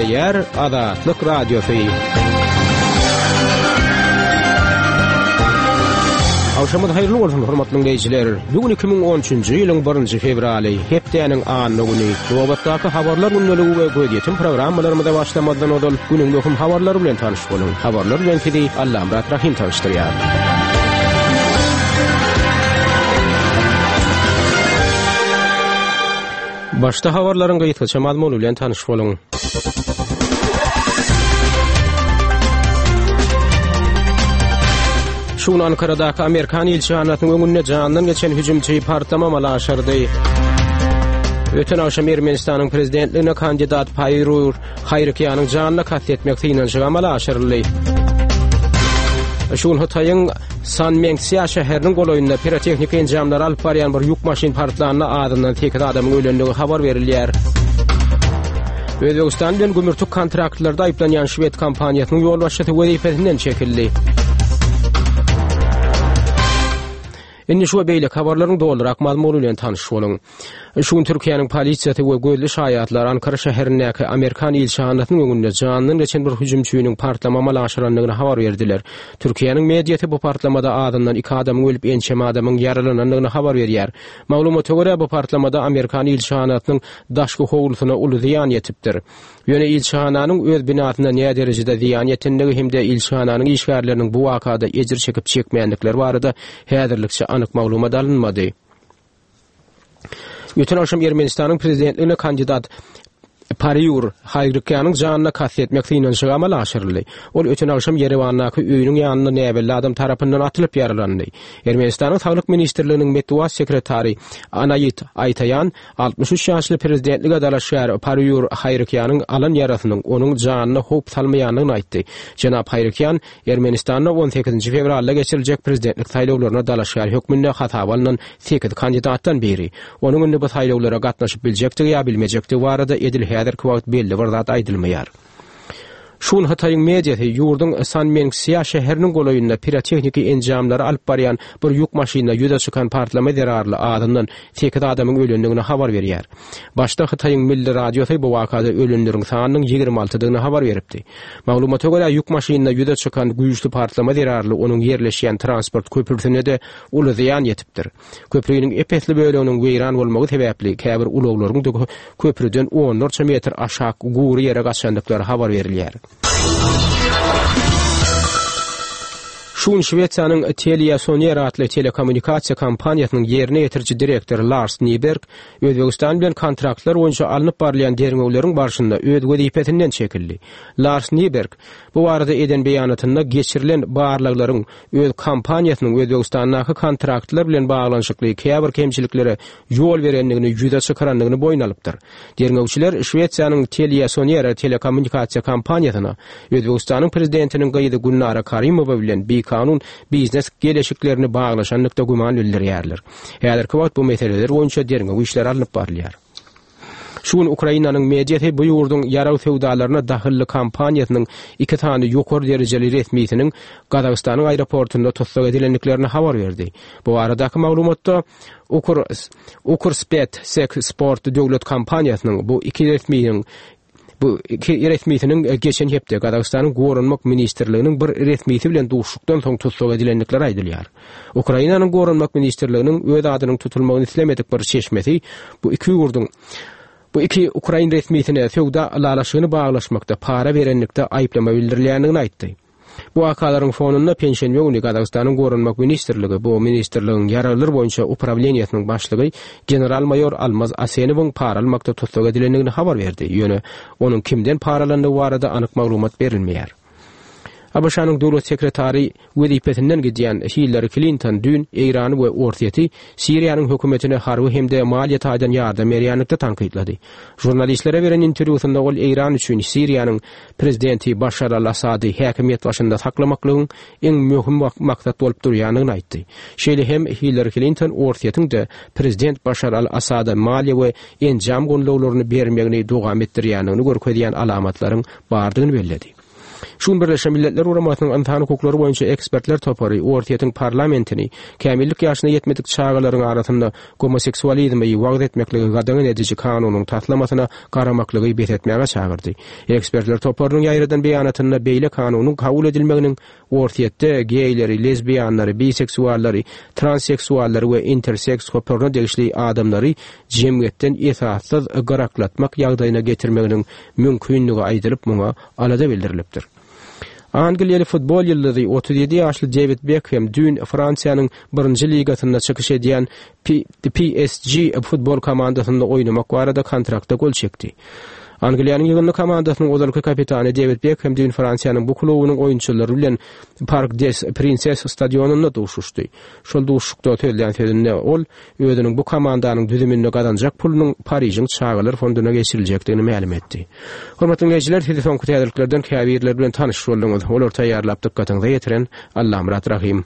Gepleýär Azatlyk Radiosy. Agşamyňyz haýyrly bolsun, hormatly diňleýjiler. Bu gün 2013-nji ýylyň 1-nji fewraly, hepdäniň anna güni. Nobatdaky habarlar gündeligi we gözýetim programmalarymyza başlamazdan ozal günüň möhüm habarlary bilen tanyş boluň. Habarlar bilen sizi Allamyrat Rahym tanyşdyrýar. Başda habarlaryň gysgaça mazmuny bilen tanyş boluň. Şu gün Ankaradaky Amerikan ilçihanasynyň öňünde jandan geçen hüjümçi partlama amala aşyrdy. Öten agşam Ermenistanyň prezidentligine kandidat Paýrur Haýrykýanyň janyna kast etmek synanyşygy amala aşyryldy. Şu gün Hytaýyň Sanmengsýa şäheriniň golaýynda pirotehniki enjamlary alyp barýan bir ýük maşyn partlanda azyndan 8 adamyň ölendigi habar berilýär. Özbegistan bilen gümürtik kontraktlarda aýyplanýan şwed kompaniýasynyň ýolbaşçysy wezipesinden çekildi. Indi şu we beýleki habarlaryň dolurak mazmuny bilen tanyş boluň. Şu gün Türkiýäniň polisiýasy we gözli şaýatlar Ankara şäherindäki amerikan ilçihanasynyň öňünde janyndan geçen bir hüjümçiniň partlama amala aşyrandygyny habar berdiler. Türkiýäniň mediasy bu partlamada azyndan iki adamyň ölüp, ençeme adamyň ýaralanandygyny habar berýär. Maglumata görä, bu partlamada amerikan ilçihanasynyň daşky howlusyna uly zyýan ýetipdir. Ýöne ilçihananyň öz binasyna näderejede zyýan ýetendigi hem-de ilçihananyň işgärleriniň bu wakada ejir çekip-çekmändikleri barada häzirlikçe anyk maglumat alynmady. Öten agşam Ermenistanyň prezidentligine kandidat Pariur Haýrykýanyň janyna kast etmek synanyşygy amala aşyryldy. Ol öten agşam Ýerewandaky öýüniň ýanynda näbelli adam tarapyndan atylyp ýaralandy. Ermenistanyň Saglyk ministrliginiň metbugat sekretary Anaýit Aýtaýan 63 ýaşly prezidentlige dalaşgär Pariur Haýrykýanyň alan ýarasynyň onuň janyna howp salmaýandygyny aýtdy. Jenap Haýrykýan Ermenistanda on sekizinji fewralda geçiriljek prezidentlik saýlawlaryna dalaşgär hökmünde hasaba alnan sekiz kandidatdan biri. Onuň indi bu saýlawlara gatnaşyp biljekdigi ýa bilmejekdigi barada edil häzirki wagt belli bir zat aýdylmaýar. Şu gün Hytaýyň mediasy ýurduň Sanmenksýa şäheriniň golaýynda pirotehniki enjamlary alyp barýan bir ýük maşynynda ýüze çykan partlama zerarly azyndan sekiz adamyň ölendigini habar berýär. Başda Hytaýyň Milli radiosy bu wakada ölenleriň sanynyň ýigrimi altydygyny habar beripdi. Maglumata görä, ýük maşynynda ýüze çykan güýçli partlama zerarly onuň ýerleşýän transport köprüsine-de uly zyýan ýetipdir. Köprüniň ep-esli böleginiň weýran bolmagy sebäpli käbir ulaglaryň-da köprüden onlarça metr aşak gury ýere gaçandyklary habar berilýär. Şu gün Şwesiýanyň TeliaSonera atly telekommunikasiýa kompaniýasynyň ýerine ýetiriji direktory Lars Nyberg Özbegistan bilen kontraktlar boýunça alnyp barylýan derňewleriň barşynda öz wezipesinden çekildi. Lars Nyberg bu barada eden beýanatynda geçirilen barlaglaryň öz kompaniýasynyň Özbegistandaky kontraktlar bilen baglanyşykly käbir kemçiliklere ýol berendigini ýüze çykarandygyny boýun alypdyr. Derňewçiler Şwesiýanyň TeliaSonera telekommunikasiýa kompaniýasyna Özbegistanyň prezidentiniň gyzy Gülnara Karimowa bilen bikanun biznes geleşiklerini baglaşanlykda güman bildirýärler. Häzirki wagt bu meseleler boýunça derňew işleri alnyp barylýar. Şu gün Ukrainanyň mediasy bu ýurduň ýarag söwdalaryna dahylly kompaniýasynyň iki sany ýokary derejeli resmisiniň Gazagystanyň aeroportunda tussag edilendiklerini habar berdi. Bu baradaky maglumatda Ukr Ukrspet Sek Sport döwlet kompaniýasynyň bu iki resminiň Bu iki resmisiniň geçen hepde Gazagystanyň Goranmak ministrliginiň bir resmisi bilen duşuşykdan soň tussag edilendikleri aýdylýar. Ukrainanyň Goranmak ministrliginiň öz adynyň tutulmagyny islemedik bir çeşmesi bu iki ýurduň bu iki ukrain resmisine söwda ylalaşygyny baglaşmakda para berenlikde aýyplama bildirilýändigini aýtdy. Bu wakalaryň fonunda penşenbe güni Gazagystanyň Goranmak ministrligi bu ministrligiň ýaraglar boýunça uprawleniýesiniň başlygy general-maýor Almaz Asenowyň para almakda tussag edilendigini habar berdi, ýöne onuň kimden para alandygy barada anyk maglumat berilmeýär. ABŞ-nyň döwlet sekretary wezipesinden gidýän Hillari Klinton düýn Eýrany we Orsýeti Siriýanyň hökümetine harby hem-de maliýe taýdan ýardam berýänlikde tankytlady. Žurnalistlere beren interwýusynda ol Eýran üçin Siriýanyň prezidenti Başar al-Assady häkimiýet başynda saklamaklygyň iň möhüm maksat bolup durýandygyny aýtdy. Şeýle hem Hillari Klinton Orsýetiň-de prezident Başar al-Assada maliýe we enjam gollawlaryny bermegini dowam etdirýändigini görkezýän alamatlaryň bardygyny belledi. Şu gün Birleşen Milletler Guramasynyň Ynsan hukuklary boýunça ekspertler topary Orsýetiň parlamentini kämillik ýaşyna ýetmedik çagalaryň arasynda gomoseksualizmi wagyz etmekligi gadagan ediji kanunyň taslamasyna garamaklygy bes etmäge çagyrdy. Ekspertler toparynyň ýaýradan beýanatynda beýle kanunyň kabul edilmeginiň Orsýetde geýleri, lezbiýanlary, biseksuallary, transseksuallary we interseks toparyna degişli adamlary jemgyýetden esassyz gyraklatmak ýagdaýyna getirmeginiň mümkindigi aýdylyp, muňa alada bildirilipdir. Angliýaly futbol ýyldyzy, 37 ýaşly Dewid Bekhem düýn Fransiýanyň birinji ligasynda çykyş edýän PSG futbol komandasynda oýnamak barada kontrakta gol çekdi. Angliýanyň ýygyndy komandasynyň ozalky kapitany Dewid Bekhem düýn Fransiýanyň bu klubunyň oýunçylary bilen Park des Prinses stadionynda duşuşdy. Şol duşuşykda sözlän sözünde ol özüniň bu komandanyň düzüminde gazanjak pulunyň Parižiň çagalar fonduna geçiriljekdigini mälim etdi. Hormatly diňleýjiler, sizi soňky täzeliklerden käbirleri bilen tanyş bolduňyz. Olary taýýarlap dykgatyňyza ýetiren Allamyrat Rahym.